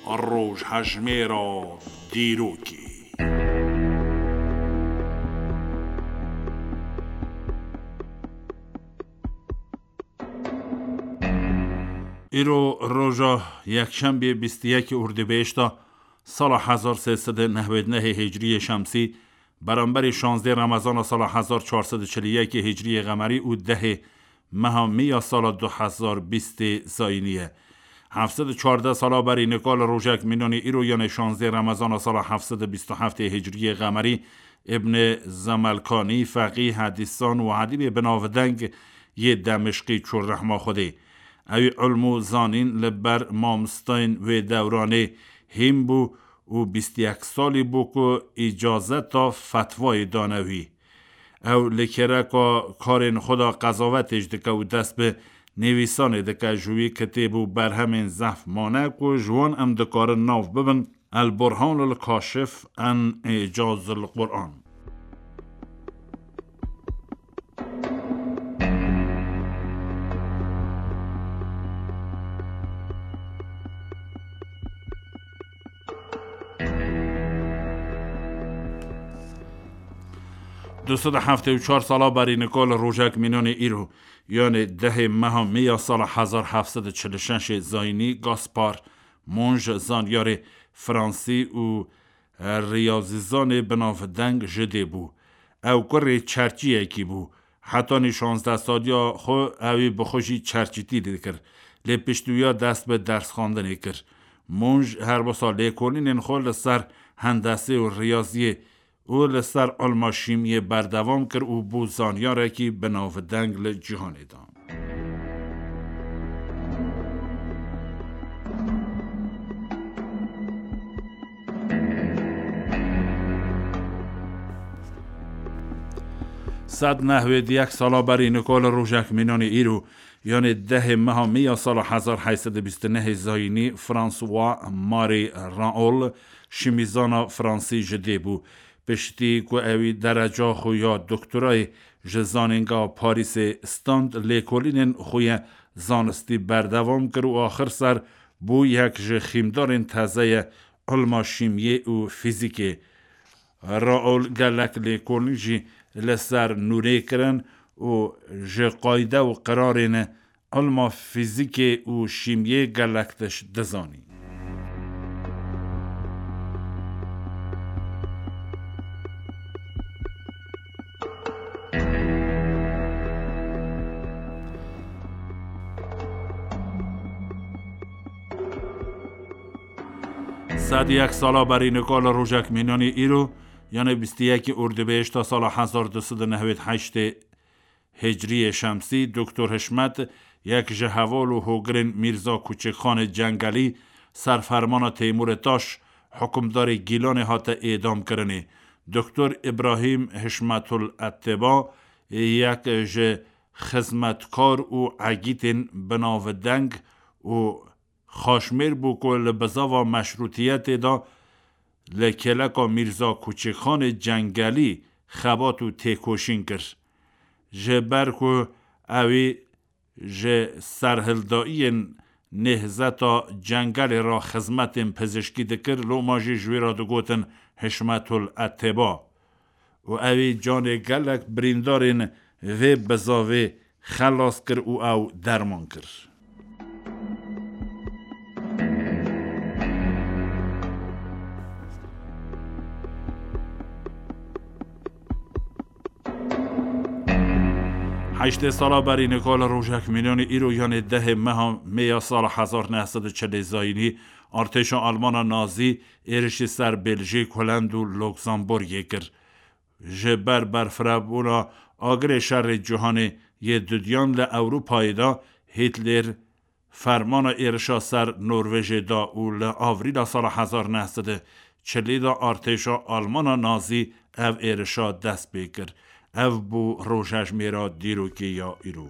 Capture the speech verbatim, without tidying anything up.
Rojhejmêra dîrokê. Îro roja yekşembê bîst û yekê Urdibêşta sala hezar sê sed û nehwêd nehê Hicriyê Şemsî, beramberî şazdê Remezana sala hezar çar sed û çil û yekê Hicriyê Qemerî û dehê meha Mî ya sala du hezar bîstê Zayînî ye. Heft sed û çardeh sala berî nika li rojek mînanî îro, yanê şazdê Remezana sala heft sed û bîst û heftê Hicriyê Qemerî, Îbnê Zemelkanî, feqî, hedîsan û edîbê binavdeng yê Demişqî çû rehma Xwedê. Ew î ilm û zanîn li ber mamosteyên wê dewranê hîn bû û bîst û yek salî bû ku îcazeta fetvayê dane wî. Ew li kêreka karên xwe de qezavetê jî dike û dest bi nivîsanê dike, ji wî kitêb û berhemên zehf mane ku ji wan em dikarin nav bibin: El Burhan el Kaşif en Îcaz el Quran. Du sed û heftê û çar sala berî nika li rojek mînanê îro, yanê dehê meha Mî ya sala hezar heft sed û çil û şeşê Zayînî, Gaspar Monge, zanyarê fransî û riyazîzanê binavdeng ji dê bû. Ew kurê çerçiyekî bû. Hetanî şazdeh saliya xwe ewî bi xwe jî çerçîtî dikir. Lê piştî wiya dest bi dersxwendinê kir. Monge her wisa lêkolînên xwe li ser hendesê û riyaziyê û li ser ilma şîmiyê berdewam kir û bû zanyarekî binavdeng li cîhanê de. Sed nehwêd yek sala berî nika li rojek mînanê îro, yanê dehê meha Mî ya sala hezar heyt sed û bîst û nehê Zayînî, François Marie Raoul, şîmîzana fransî ji dê bû. Piştî ku ewî dereca xwe ya doktorayê ji Zanîngeha Parîsê stand, lêkolînên xwe yê zanistî berdewam kir û axir ser bû yek ji xîmdarên tezeyê ilma şîmiyê û fîzîkê. Raoul gelek lêkolîn jî li ser nûrê kirin û ji qayde û qirarên ilma fîzîkê û şîmiyê gelek tişt dizanî. Sed yek sala berî nika li rojek mînanî îro, yanê bîst û yekê Urdibêşta sala hezar du sed û nehwêd heştê Hicriyê Şemsî, Doktor Hişmet, yek ji heval û hogirên Mîrza Kuçikxanê Cengelî, ser fermana Teymûrê Taş, hukimdarê Gîlanê hate êdamkirinê. Doktor Îbrahîm Hişmetul Etteba, yek ji xizmetkar û egîtên binavdeng û xaşmêr bû ku li bizava meşrûtiyetê de li kêleka Mîrza Kuçikxanê Cengelî xebat û têkoşîn kir. Ji ber ku ewî ji serhildayiyên nêhzeta Cengelê re xizmetên pizişkî dikir, loma jî ji wî re digotin Hişmetul Etteba. Û ewî canê gelek birîndarên vê bizavê xelas kir û ew derman kir. Heştê sala berî nika li rojek mînanî îro, yanê dehê meha Mê ya sala hezar neh sed û çilê Zayînî, artêşa Almana Nazî êrişî ser Beljîk, Holend û Luxemburgê kir. Ji ber berfirehbûna agirê şerê cîhanê yê dudiyan li Ewropayê de, Hîtler fermana êrişa ser Norvejê da û li Avrîla sala hezar neh sed û çilî de artêşa Almana Nazî ev êrişa dest pê kir. Ev bû rojhejmêra dîrokê ya îro.